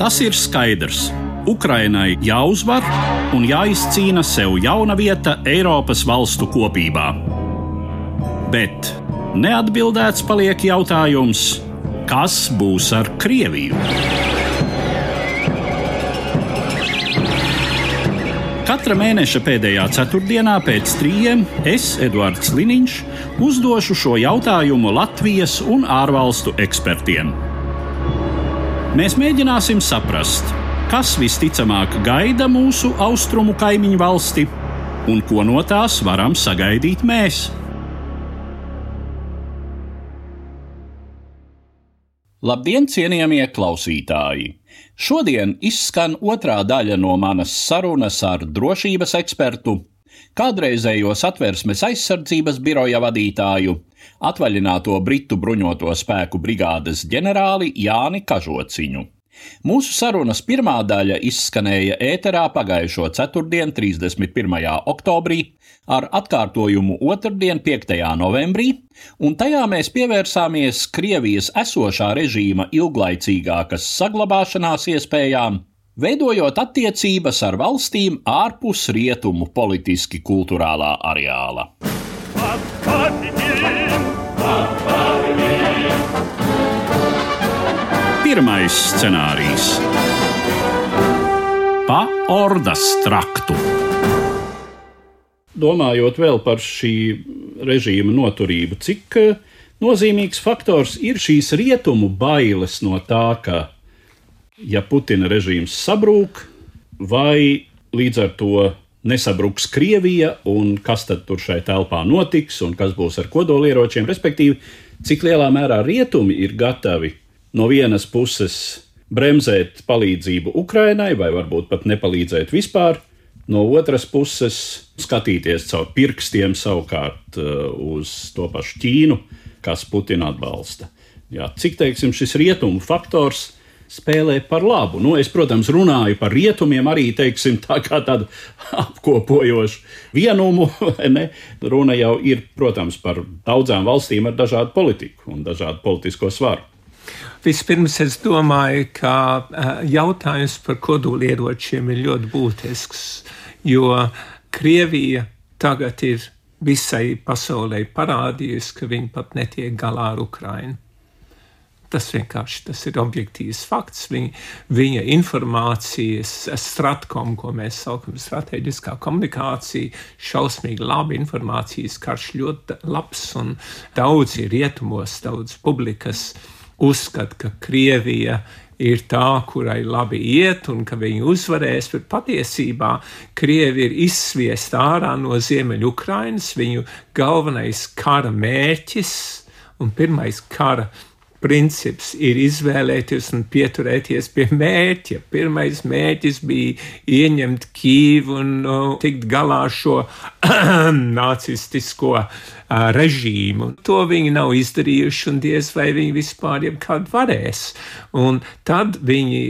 Tas ir skaidrs. Ukrainai jāuzvar un jāizcīna sev jauna vieta Eiropas valstu kopībā. Bet neatbildēts paliek jautājums, kas būs ar Krieviju? Katra mēneša pēdējā ceturtdienā pēc 3 es, Eduards Liniņš, uzdošu šo jautājumu Latvijas un ārvalstu ekspertiem. Mēs mēģināsim saprast, kas visticamāk gaida mūsu austrumu kaimiņu valsti un ko no tās varam sagaidīt mēs. Labdien, cienījamie klausītāji! Šodien izskan otrā daļa no manas sarunas ar drošības ekspertu, kādreizējo Satversmes aizsardzības biroja vadītāju, atvaļināto Britu bruņoto spēku brigādes ģenerāli Jāni Kažociņu. Mūsu sarunas pirmā daļa izskanēja ēterā pagājušo ceturtdien, 31. oktobrī, ar atkārtojumu otrdien, 5. novembrī, un tajā mēs pievērsāmies Krievijas esošā režīma ilglaicīgākas saglabāšanās iespējām, veidojot attiecības ar valstīm ārpus rietumu politiski-kulturālā areāla. Pirmais scenārijs – pa Ordas traktu. Domājot vēl par šī režīma noturību, cik nozīmīgs faktors ir šīs rietumu bailes no tā, ka, ja Putina režīms sabrūk, vai līdz ar to nesabruks Krievija, un kas tad tur šai telpā notiks, un kas būs ar kodolieročiem, respektīvi, cik lielā mērā rietumi ir gatavi no vienas puses bremzēt palīdzību Ukrainai, vai varbūt pat nepalīdzēt vispār, no otras puses skatīties caur pirkstiem savukārt uz to pašu Ķīnu, kas Putinu atbalsta. Jā, cik, teiksim, šis rietumu faktors spēlē par labu? Es, protams, runāju par rietumiem arī, teiksim, tā kā tādu apkopojošu vienumu, ne? Runa jau ir, protams, par daudzām valstīm ar dažādu politiku un dažādu politisko svaru. Vispirms es domāju, ka jautājums par kodolieročiem ir ļoti būtisks, jo Krievija tagad ir visai pasaulē parādījusi, ka viņi pat netiek galā ar Ukrainu. Tas ir objektīvs fakts. Viņa informācijas stratkom, ko mēs saukam strateģiskā komunikācija, šausmīgi laba informācijas karš ļoti labs, un daudzi rietumos, daudz publikas uzskata, ka Krievija ir tā, kurai labi iet un ka viņi uzvarēs, bet patiesībā Krievi ir izsviest ārā no Ziemeļukrainas. Viņu galvenais kara mērķis un pirmais kara princips ir izvēlēties un pieturēties pie mērķa. Pirmais mērķis bija ieņemt Kīvu un tikt galā šo nacistisko režīmu. To viņi nav izdarījuši, un diez vai viņi vispār jebkad varēs. Un tad viņi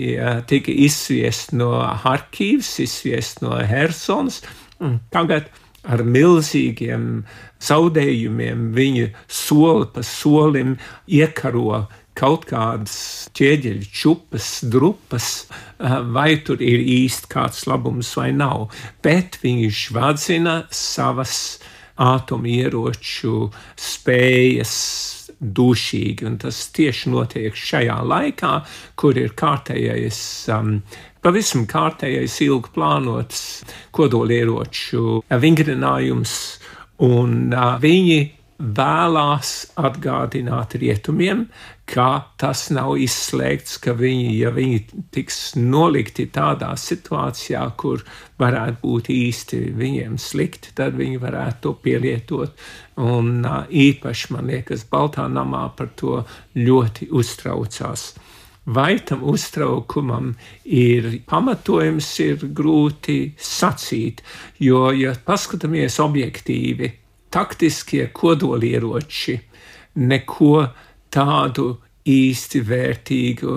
tika izsviest no Harkivas, izsviest no Hersonas, un tagad ar milzīgiem zaudējumiem viņi soli pa solim iekaro kaut kādas ķieģeļu čupas, drupas, vai tur ir īsti kāds labums vai nav. Bet viņi žvadzina savas ātomieroču spējas dušīgi, un tas tieši notiek šajā laikā, kur ir pavisam kārtējais ilgi plānots kodolieroču vingrinājums, un viņi vēlās atgādināt rietumiem, ka tas nav izslēgts, ka ja viņi tiks nolikti tādā situācijā, kur varētu būt īsti viņiem slikti, tad viņi varētu to pielietot. Un īpaši, man liekas, Baltā namā par to ļoti uztraucās. Vai tam uztraukumam ir pamatojums, ir grūti sacīt, jo, ja paskatāmies objektīvi, taktiskie kodolieroči neko tādu īsti vērtīgu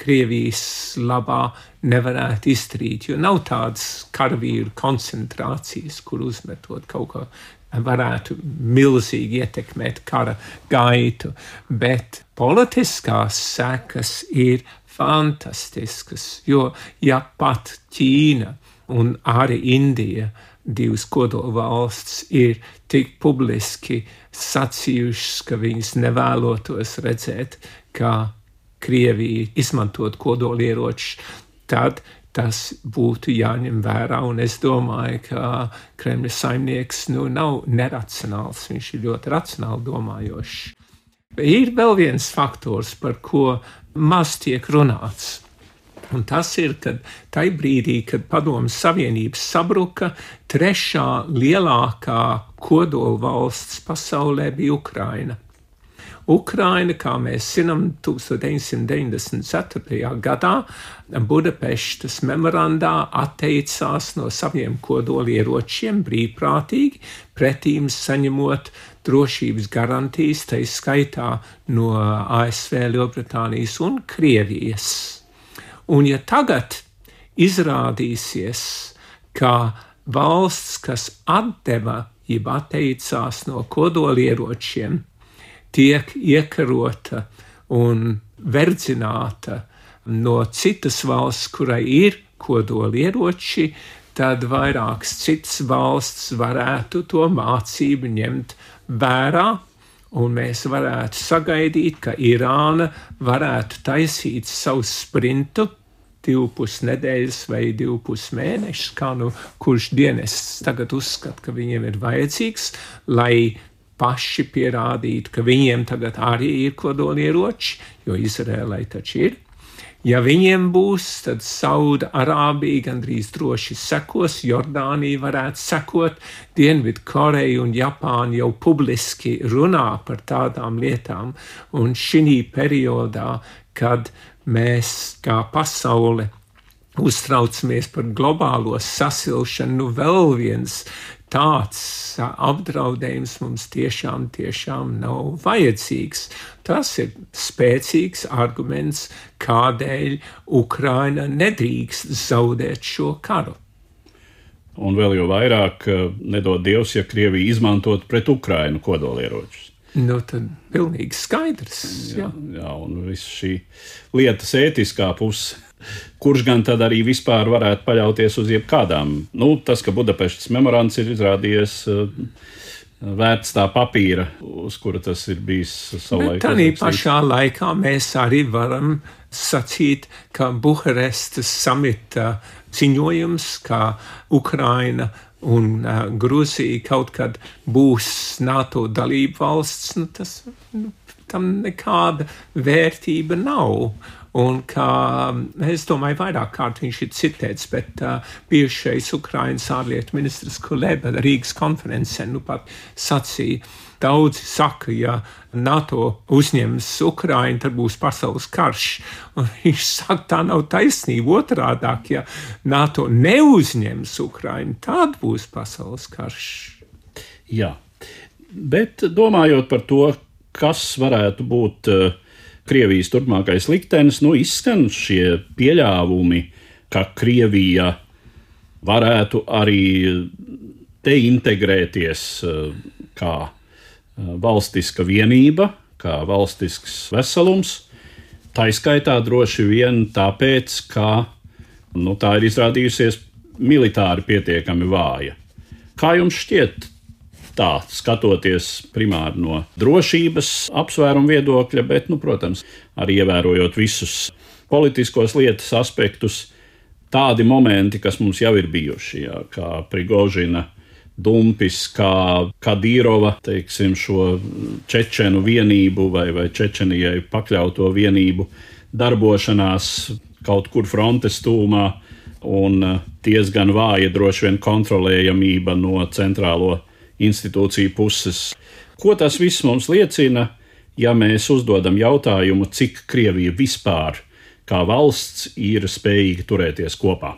Krievijas labā nevarētu izdarīt, jo nav tādas karavīru koncentrācijas, kur uzmetot kaut ko varētu milzīgi ietekmēt kara gaitu, bet politiskās sekas ir fantastiskas, jo ja pat Ķīna un arī Indija, divas kodola valsts, ir tik publiski sacījušas, ka viņas nevēlotos redzēt, kā Krievija izmantot kodolieročus, tad tas būtu jāņem vērā, un es domāju, ka Kremļa saimnieks nav neracionāls, viņš ir ļoti racionāli domājošs. Ir vēl viens faktors, par ko maz tiek runāts, un tas ir, kad tajā brīdī, kad Padomju Savienība sabruka, trešā lielākā kodola valsts pasaulē bija Ukraina. Ukraina, kā mēs zinām, 1994. gadā Budapeštas memorandā atteicās no saviem kodolieročiem brīvprātīgi, pretīm saņemot drošības garantijas, tai skaitā no ASV, Lielbritānijas un Krievijas. Un ja tagad izrādīsies, ka valsts, kas atdeva, jeb atteicās no kodolieročiem, tiek iekarota un verdzināta no citas valsts, kurai ir kodolieroči, tad vairākas citas valsts varētu to mācību ņemt vērā, un mēs varētu sagaidīt, ka Irāna varētu taisīt savu sprintu 2,5 nedēļas vai 2,5 mēnešus, kā kurš dienests tagad uzskata, ka viņiem ir vajadzīgs, lai paši pierādītu, ka viņiem tagad arī ir kodolieroči, jo Izrēlai taču ir. Ja viņiem būs, tad Sauda Arābija gandrīz droši sekos, Jordānija varētu sekot, Dienvidkoreja un Japāna jau publiski runā par tādām lietām, un šī periodā, kad mēs kā pasaule uztraucamies par globālo sasilšanu, vēl viens tāds apdraudējums mums tiešām nav vajadzīgs. Tas ir spēcīgs arguments, kādēļ Ukraina nedrīkst zaudēt šo karu. Un vēl jau vairāk nedod Dievs, ja Krievija izmantot pret Ukrainu kodolieročus. Tad pilnīgi skaidrs. Jā, un viss šī lietas ētiskā puse. Kurš gan tad arī vispār varētu paļauties uz jebkādām? Tas, ka Budapeštas memorands ir izrādījies vērts tā papīra, uz kura tas ir bijis savulaik. Bet tādā pašā laikā mēs arī varam sacīt, ka Buharestas samita ziņojums, ka Ukraina un Gruzija kaut kad būs NATO dalība valsts, tam nekāda vērtība nav. Un kā, es domāju, vairāk kārt viņš ir citēts, bet bijušais Ukrainas ārlietu ministrs Kuleba Rīgas konferencē pat sacīja, daudzi saka, ja NATO uzņems Ukrainu, tad būs pasaules karš. Un viņš saka, tā nav taisnība, otrādāk, ja NATO neuzņems Ukrainu, tad būs pasaules karš. Jā, bet domājot par to, kas varētu būt Krievijas turpmākais liktenis, izskan šie pieļāvumi, ka Krievija varētu arī integrēties kā valstiska vienība, kā valstisks veselums, taiskaitā droši vien tāpēc, ka tā ir izrādījusies militāri pietiekami vāja. Kā jums šķiet? Tā, skatoties primāri no drošības apsvērumu viedokļa, bet, protams, arī ievērojot visus politiskos lietas aspektus, tādi momenti, kas mums jau ir bijuši, kā Prigožina dumpis, kā Kadīrova, šo čečenu vienību vai Čečenijai pakļauto vienību darbošanās kaut kur frontes tūmā un diezgan vāja droši vien kontrolējamība no centrālo institūciju puses. Ko tas viss mums liecina, ja mēs uzdodam jautājumu, cik Krievija vispār kā valsts ir spējīga turēties kopā?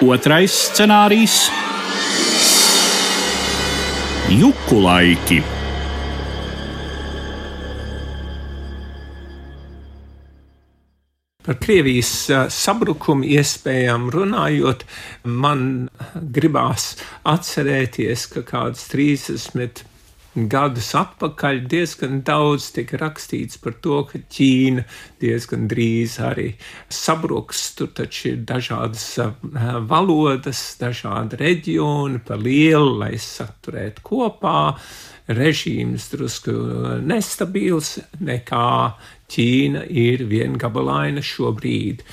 Otrais scenārijs – Juku laiki. Par Krievijas sabrukumu iespējām runājot, man gribās atcerēties, ka kāds 30 gadus atpakaļ diezgan daudz tika rakstīts par to, ka Ķīna diezgan drīz arī sabruks. Tur taču ir dažādas valodas, dažādi reģioni pa lielu, lai saturētu kopā. Režīms drusku nestabils, nekā Ķīna ir viengabalaina šobrīd.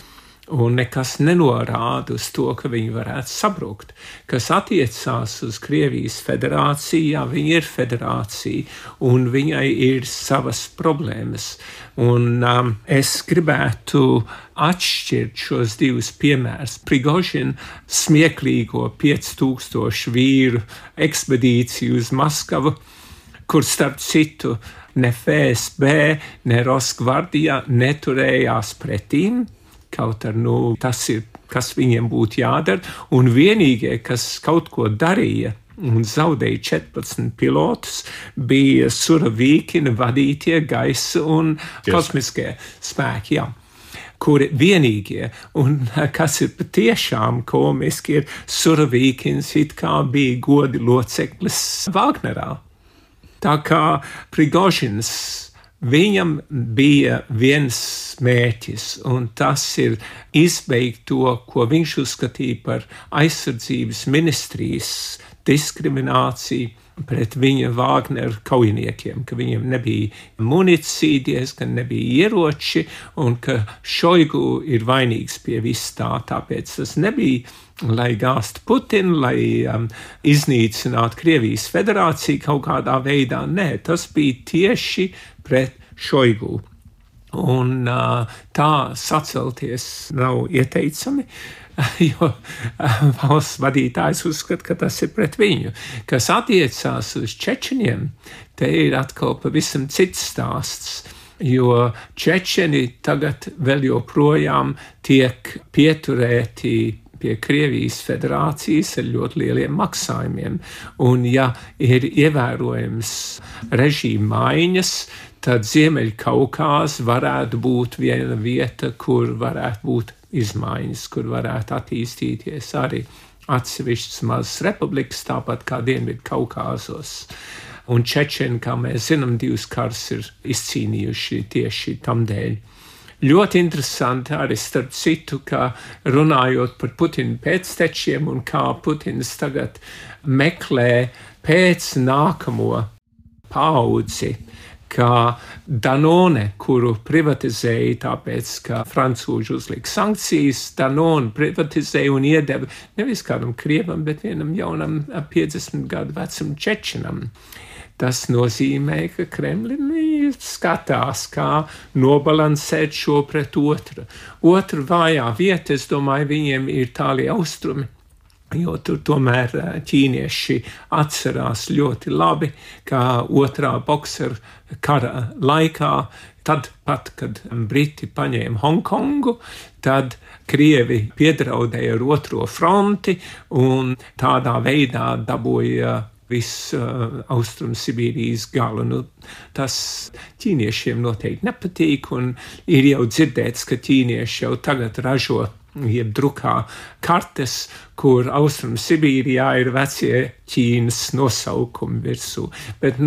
Un nekas nenorāda uz to, ka viņi varētu sabrukt. Kas attiecās uz Krievijas federāciju, jā, viņa ir federācija, un viņai ir savas problēmas. Un es gribētu atšķirt šos divus piemērus. Prigožina smieklīgo 5000 vīru ekspedīciju uz Maskavu, kur starp citu ne FSB, ne Rosgvardija neturējās pretīm, kaut ar, tas ir, kas viņiem būtu jādara, un vienīgie, kas kaut ko darīja un zaudēja 14 pilotus, bija Surovīkina vadītie gaisa un kosmiskie spēki, jā, kuri vienīgie, un kas ir patiešām komiski, ir Surovīkins it kā bija godi loceklis Vagnerā. Tā kā Prigožins, viņam bija viens mērķis, un tas ir izbeigt to, ko viņš uzskatīja par aizsardzības ministrijas diskrimināciju pret viņa Vāgneru kaujiniekiem, ka viņiem nebija munīcija, diezgan nebija ieroči, un ka Šoigu ir vainīgs pie viss tā, tāpēc tas nebija, lai gāstu Putinu, lai iznīcinātu Krievijas federāciju kaut kādā veidā. Nē, tas bija tieši pret Šoigu. Un tā sacelties nav ieteicami, jo valsts vadītājs uzskata, ka tas ir pret viņu. Kas attiecās uz čečeniem, te ir atkal pavisam cits stāsts, jo čečeni tagad vēl joprojām tiek pieturēti pie Krievijas federācijas ar ļoti lieliem maksājumiem. Un ja ir ievērojams režīma maiņas, tad Ziemeļkaukāz varētu būt viena vieta, kur varētu būt izmaiņas, kur varētu attīstīties arī atsevišķas mazas republikas, tāpat kā Dienvidkaukāzos. Un čečeni, kā mēs zinām, 2 karus ir izcīnījuši tieši tam dēļ. Ļoti interesanti arī starp citu, ka runājot par Putina pēctečiem un kā Putins tagad meklē pēc nākamo paudzi, kā Danone, kuru privatizēja tāpēc, ka francūži uzlika sankcijas, Danone privatizēja un iedeva nevis kādam krievam, bet vienam jaunam 50 gadu vecam čečenam. Tas nozīmē, ka Kremlini skatās, kā nobalansēt šo pret otru. Otra vājā vieta, es domāju, viņiem ir tālie austrumi, jo tur tomēr ķīnieši atcerās ļoti labi, kā otrā bokseru kara laikā, tad pat, kad Briti paņēma Hongkongu, tad Krievi piedraudēja ar otro fronti un tādā veidā dabūja visu Austrum Sibīrijas galu. Nu, tas ķīniešiem noteikti nepatīk, un ir jau dzirdēts, ka ķīnieši jau tagad ražo jeb drukā kartes, kur Austrum Sibīrijā ir vecie Ķīnas nosaukumi virsū. Bet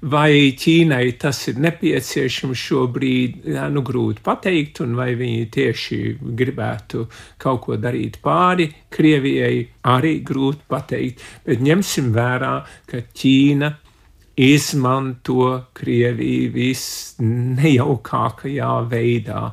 vai Ķīnai tas ir nepieciešams šobrīd, grūti pateikt, un vai viņi tieši gribētu kaut ko darīt pāri Krievijai, arī grūti pateikt. Bet ņemsim vērā, ka Ķīna izmanto Krieviju visnejaukākajā veidā,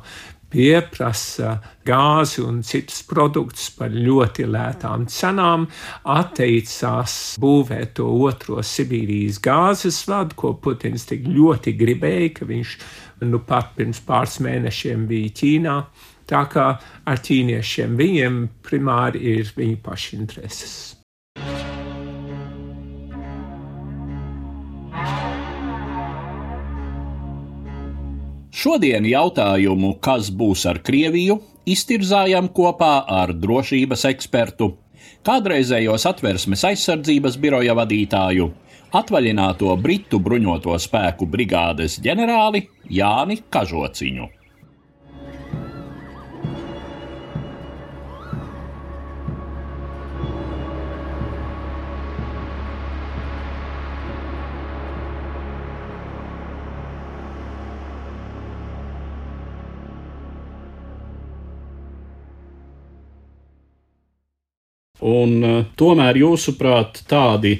pieprasa gāzi un citus produktus par ļoti lētām cenām, atteicās būvēt to otro Sibīrijas gāzes vadu, ko Putins tik ļoti gribēja, ka viņš pat pirms pāris mēnešiem bija Ķīnā. Tā kā ar ķīniešiem viņiem primāri ir viņu paši intereses. Šodien jautājumu, kas būs ar Krieviju, iztirzājam kopā ar drošības ekspertu, kādreizējo Satversmes aizsardzības biroja vadītāju, atvaļināto Britu bruņoto spēku brigādes ģenerāli Jāni Kažociņu. Un tomēr, jūsuprāt, tādi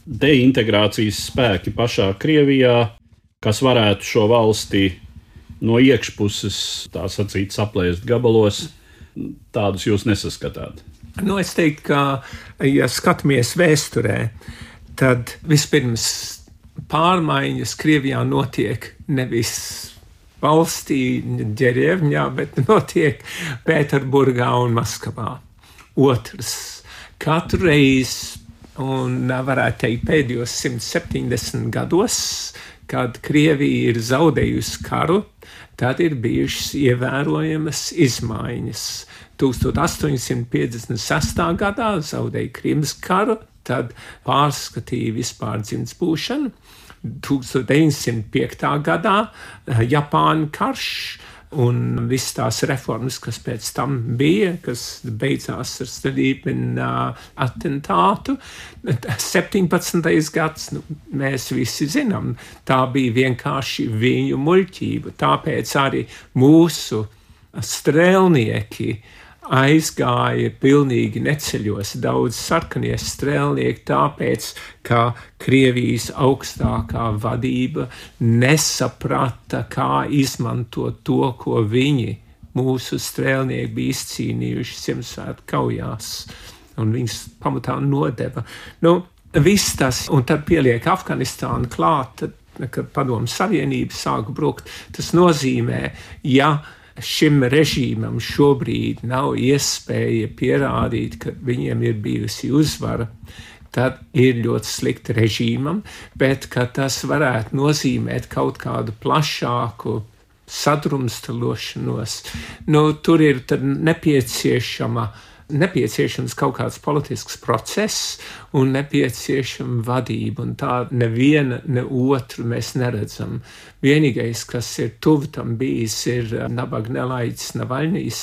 deintegrācijas spēki pašā Krievijā, kas varētu šo valsti no iekšpuses, tā sacīt, saplēst gabalos, tādus jūs nesaskatāt? Es teiktu, ka, ja skatāmies vēsturē, tad vispirms pārmaiņas Krievijā notiek nevis valstī, Ģerevņā, bet notiek Pēterburgā un Maskavā. Otrs, katru reizi, un varētu teikt pēdējos 170 gados, kad Krievija ir zaudējusi karu, tad ir bijušas ievērojamas izmaiņas. 1856. gadā zaudēja Krimas karu, tad pārskatīja vispār dzimtsbūšanu. 1905. gadā Japāņu karš un visas tās reformas, kas pēc tam bija, kas beidzās ar Stolīpina atentātu. 17. gads, mēs visi zinām, tā bija vienkārši viņu muļķība. Tāpēc arī mūsu strēlnieki aizgāja pilnīgi neceļos, daudz sarkanie strēlnieki, tāpēc, ka Krievijas augstākā vadība nesaprata, kā izmantot to, ko viņi, mūsu strēlnieki, bija izcīnījuši Ziemassvētku kaujās, un viņus pamatā nodeva. Viss tas, un tad pieliek Afganistānu klāt, kad Padomju Savienība sāka brukt, tas nozīmē, ja šim režīmam šobrīd nav iespēja pierādīt, ka viņiem ir bijusi uzvara, tad ir ļoti slikti režīmam, bet ka tas varētu nozīmēt kaut kādu plašāku sadrumstalošanos. Tur ir tad nepieciešams kaut kāds politisks process un nepieciešama vadība, un tā neviena, ne otru mēs neredzam. Vienīgais, kas ir tuvu tam bijis, ir nabaga nelaiķis Navaļņijs.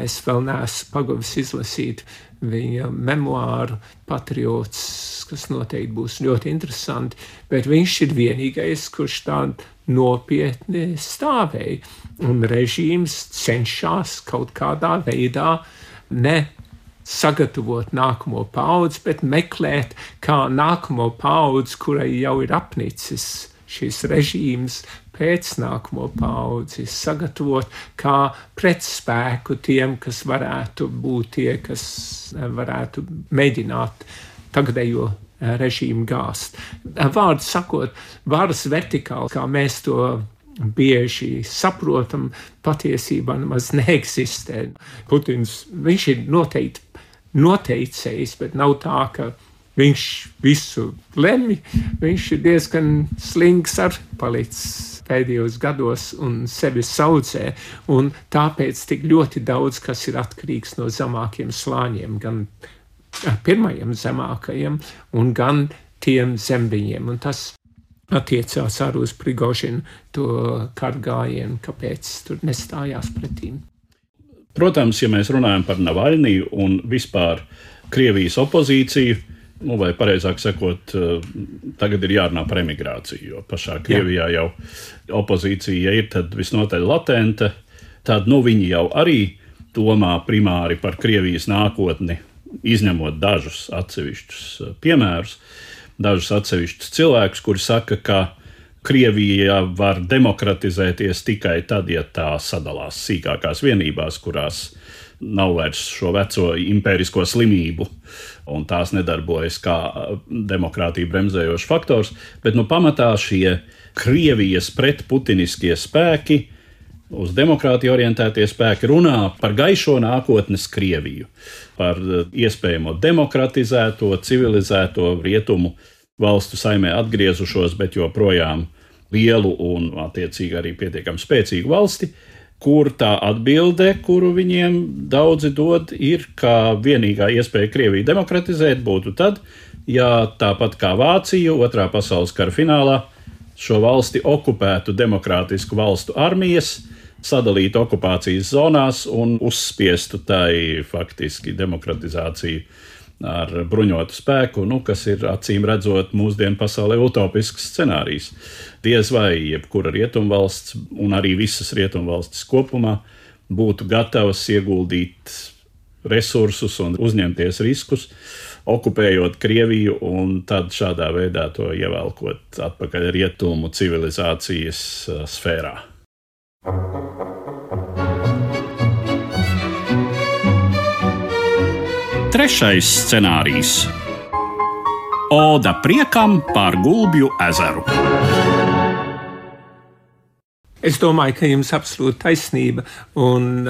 Es vēl neesmu pagavis izlasīt viņa memoāru Patriots, kas noteikti būs ļoti interesanti, bet viņš ir vienīgais, kurš tā nopietni stāvēja, un režīms cenšas kaut kādā veidā ne sagatavot nākamo paudzi, bet meklēt, kā nākamo paudzi, kurai jau ir apnicis šis režīms, pēc nākamo paudzi sagatavot kā pretspēku tiem, kas varētu būt tie, kas varētu mēģināt tagadējo režīmu gāzt. Vārdu sakot, varas vertikāli, kā mēs to bieži saprotam, patiesībā nemaz neeksistē. Putins, viņš ir noteikti noteicējis, bet nav tā, ka viņš visu lemj. Viņš ir diezgan slings ar palicis pēdējos gados un sevi saudzē, un tāpēc tik ļoti daudz, kas ir atkarīgs no zemākiem slāņiem, gan pirmajiem zemākajiem, un gan tiem zem viņiem, un tas attiecās arī uz Prigožinu to kargājienu, kāpēc tur nestājās pretīm. Protams, ja mēs runājam par Navaļniju un vispār Krievijas opozīciju, vai pareizāk sakot, tagad ir jārunā par emigrāciju, jo pašā Krievijā jau opozīcija ir tad visnotaļ latenta, tad viņi jau arī domā primāri par Krievijas nākotni, izņemot dažus atsevišķus piemērus, dažus atsevišķus cilvēkus, kuri saka, ka Krievija var demokratizēties tikai tad, ja tā sadalās sīkākās vienībās, kurās nav vairs šo veco impērisko slimību, un tās nedarbojas kā demokrātiju bremzējošs faktors, bet pamatā šie Krievijas pretputiniskie spēki, uz demokrātiju orientētie spēki runā par gaišo nākotnes Krieviju, par iespējamo demokratizēto, civilizēto rietumu valstu saimē atgriezušos, bet joprojām lielu un attiecīgi arī pietiekami spēcīgu valsti, kur tā atbilde, kuru viņiem daudzi dod, ir, ka vienīgā iespēja Krieviju demokratizēt būtu tad, ja tāpat kā Vācija Otrā pasaules kara finālā šo valsti okupētu demokrātisku valstu armijas, sadalītu okupācijas zonās un uzspiestu tai faktiski demokratizāciju ar bruņotu spēku, kas ir acīm redzot mūsdienu pasaulē utopisks scenārijs. Diez vai jebkura rietumvalsts un arī visas rietumvalstis kopumā būtu gatavas ieguldīt resursus un uzņemties riskus, okupējot Krieviju un tad šādā veidā to ievelkot atpakaļ rietumu civilizācijas sfērā. Trešais scenārijs – Oda priekam par Gulbju ezeru. Es domāju, ka jums absolūti taisnība, un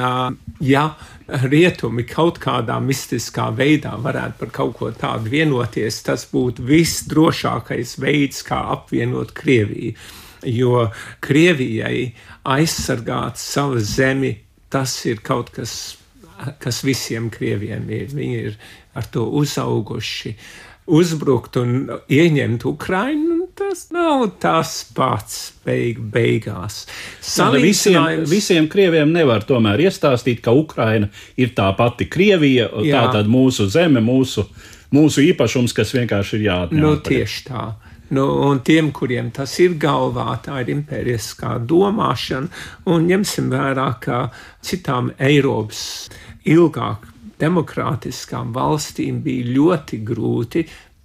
ja rietumi kaut kādā mistiskā veidā varētu par kaut ko tādu vienoties, tas būtu visdrošākais veids, kā apvienot Krieviju, jo Krievijai aizsargāt savu zemi, tas ir kaut kas visiem krieviem ir. Viņi ir ar to uzauguši. Uzbrukt un ieņemt Ukrainu, tas nav tas pats beigās. Visiem krieviem nevar tomēr iestāstīt, ka Ukraina ir tā pati Krievija, tā tad mūsu zeme, mūsu īpašums, kas vienkārši ir jāatņem. Tieši tā. Un tiem, kuriem tas ir galvā, tā ir impēriskā domāšana, un ņemsim vērā, ka citām Eiropas ilgāk demokrātiskām valstīm bija ļoti grūti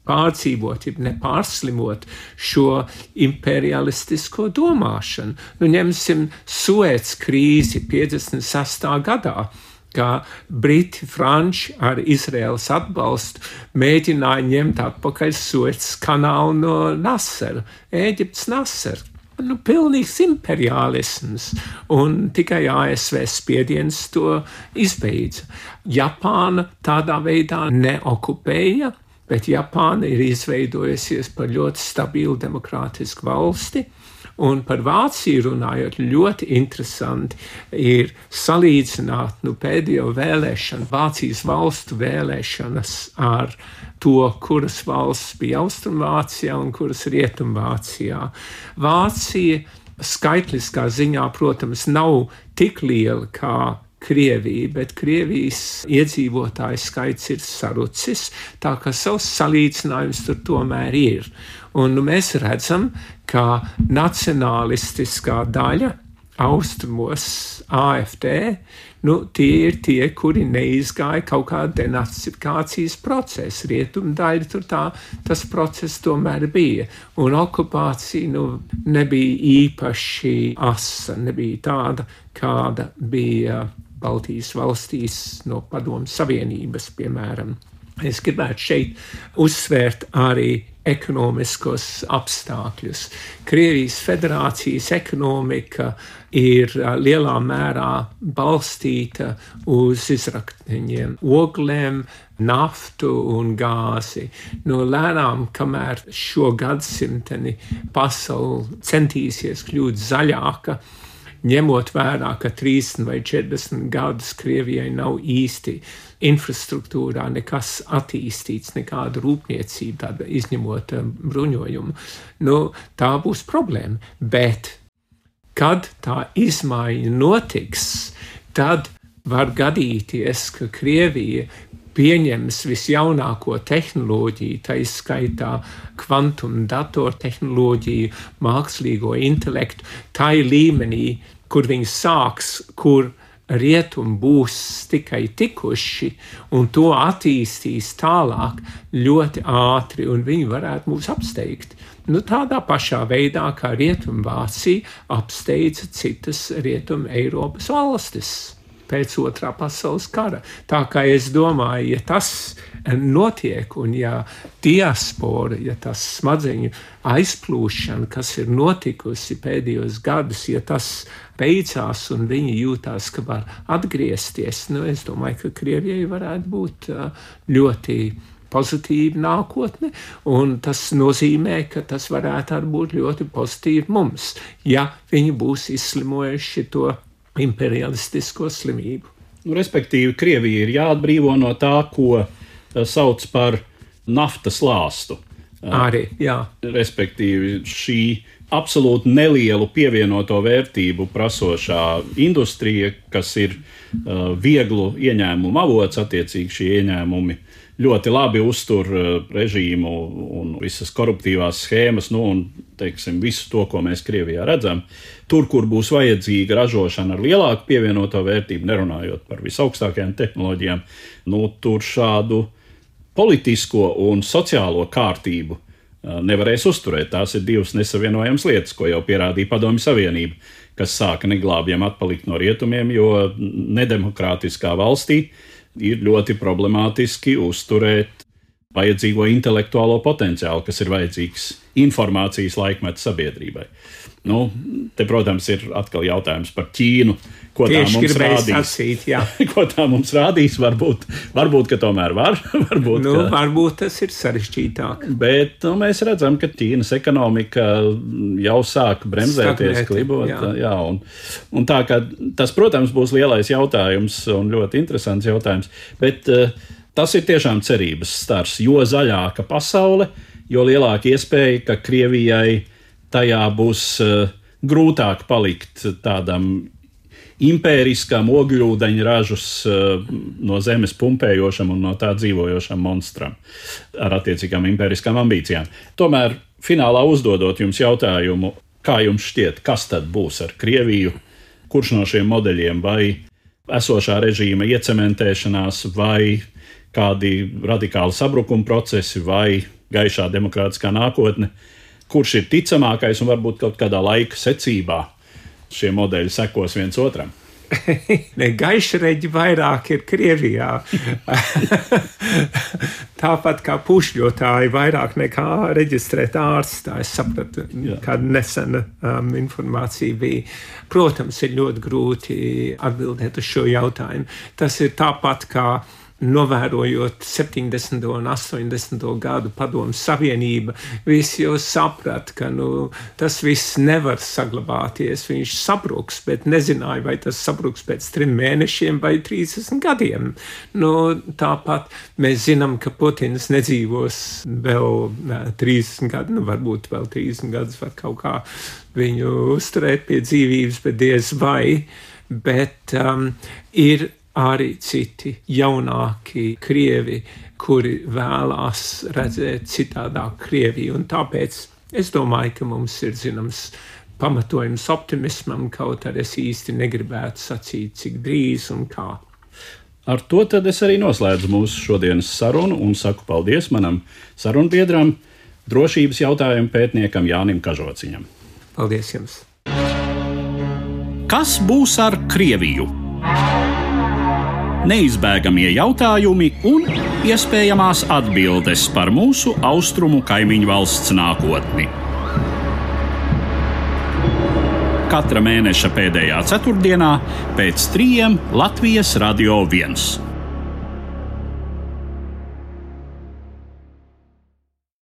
pārdzīvot, ja nepārslimot šo imperialistisko domāšanu. Ņemsim Suez krīzi 56. gadā, kā Briti, Franči ar Izraēlas atbalstu mēģināja ņemt atpakaļ Suez kanālu no Nasera, Ēģiptes Nasera. Pilnīgs imperialisms, un tikai ASV spiediens to izbeidza. Japāna tādā veidā neokupēja, bet Japāna ir izveidojusies par ļoti stabilu demokrātisku valsti, un par Vāciju runājot ļoti interesanti ir salīdzināt pēdējo vēlēšanu, Vācijas valstu vēlēšanas ar to, kuras valsts bija Austrumvācijā un kuras Rietumvācijā. Vācija skaitliskā ziņā, protams, nav tik liela kā Krievija, bet Krievijas iedzīvotāju skaits ir sarucis, tā ka savs salīdzinājums tur tomēr ir. Un mēs redzam, ka nacionalistiskā daļa austrumos AfD, tie ir tie, kuri neizgāja kaut kādu denacifikācijas procesu. Rietumdaļa tur tas process tomēr bija. Un okupācija nebija īpaši asa, nebija tāda, kāda bija Baltijas valstīs no Padomju Savienības, piemēram. Es gribētu šeit uzsvērt arī ekonomiskos apstākļus. Krievijas federācijas ekonomika ir lielā mērā balstīta uz izrakteņiem, oglēm, naftu un gāzi. Lēnām, kamēr šo gadsimteni pasauli centīsies kļūt zaļāka, ņemot vērā, ka 30 vai 40 gadus Krievijai nav īsti infrastruktūrā nekas attīstīts, nekāda rūpniecība, tāda izņemot bruņojumu, tā būs problēma. Bet, kad tā izmaiņa notiks, tad var gadīties, ka Krievija pieņems visjaunāko tehnoloģiju, tā izskaitā kvantum datortehnoloģiju, mākslīgo intelektu, tā līmenī, kur viņi sāks, kur rietumi būs tikai tikuši, un to attīstīs tālāk ļoti ātri, un viņi varētu mūs apsteigt. Tādā pašā veidā, kā Rietumvācija apsteidza citas Rietum Eiropas valstis pēc Otrā pasaules kara. Tā kā es domāju, ja tas notiek, un ja diaspora, ja tas smadzeņu aizplūšana, kas ir notikusi pēdējos gadus, ja tas beidzās un viņi jūtās, ka var atgriezties, es domāju, ka Krievijai varētu būt ļoti pozitīva nākotne, un tas nozīmē, ka tas varētu arī būt ļoti pozitīvi mums, ja viņi būs izslimojuši to imperialistisko slimību. Respektīvi, Krievija ir jāatbrīvo no tā, ko sauc par naftas lāstu. Arī, jā. Respektīvi, šī absolūti nelielu pievienoto vērtību prasošā industrija, kas ir vieglu ieņēmumu avots, attiecīgi šie ieņēmumi ļoti labi uztur režīmu un visas koruptīvās schēmas, un, teiksim, visu to, ko mēs Krievijā redzam. Tur, kur būs vajadzīga ražošana ar lielāku pievienoto vērtību, nerunājot par visaugstākajām tehnoloģijām, tur šādu politisko un sociālo kārtību nevarēs uzturēt. Tās ir divas nesavienojamas lietas, ko jau pierādīja Padomju Savienība, kas sāka neglābjami atpalikt no rietumiem, jo nedemokrātiskā valstī ir ļoti problemātiski uzturēt vajadzīgo intelektuālo potenciālu, kas ir vajadzīgs informācijas laikmeta sabiedrībai. Te, protams, ir atkal jautājums par Ķīnu, ko tā mums rādīs. Sacīt, ko tā mums rādīs, varbūt ka tomēr var. Varbūt tas ir sarežģītāk. Bet mēs redzam, ka Ķīnas ekonomika jau sāk bremzēties, klibot. Un tā, ka tas, protams, būs lielais jautājums un ļoti interesants jautājums. Bet tas ir tiešām cerības stars, jo zaļāka pasaule, jo lielāka iespēja, ka Krievijai tajā būs grūtāk palikt tādam impēriskam ogļūdeņražus no zemes pumpējošam un no tā dzīvojošam monstram ar attiecīgām impēriskām ambīcijām. Tomēr finālā uzdodot jums jautājumu, kā jums šķiet, kas tad būs ar Krieviju, kurš no šiem modeļiem, vai esošā režīma iecementēšanās, vai kādi radikāli sabrukuma procesi, vai gaišā demokrātiskā nākotne, kurš ir ticamākais un varbūt kaut kādā laika secībā šie modeļi sekos viens otram? Gaišreģi vairāk ir Krievijā. Tāpat kā pušļotāji vairāk nekā reģistrēt ārstā. Es sapratu, kāda nesena informācija bija. Protams, ir ļoti grūti atbildēt uz šo jautājumu. Tas ir tāpat kā novērojot 70. un 80. gadu Padomju Savienība, visi jau saprat, ka tas viss nevar saglabāties. Viņš sabruks, bet nezināja, vai tas sabruks pēc 3 mēnešiem vai 30 gadiem. Tāpat mēs zinām, ka Putins nedzīvos vēl 30 gadu, varbūt vēl 30 gadus var kaut kā viņu uzturēt pie dzīvības, bet diez vai, bet ir arī citi jaunāki Krievi, kuri vēlās redzēt citādāk Krieviju. Un tāpēc es domāju, ka mums ir zināms pamatojums optimismam, kaut arī es īsti negribētu sacīt, cik drīz un kā. Ar to tad es arī noslēdzu mūsu šodienas sarunu un saku paldies manam sarunbiedram, drošības jautājumu pētniekam Jānim Kažociņam. Paldies jums! Kas būs ar Krieviju? Neizbēgamie jautājumi un iespējamās atbildes par mūsu austrumu kaimiņu valsts nākotni. Katra mēneša pēdējā ceturtdienā pēc 3 Latvijas Radio 1.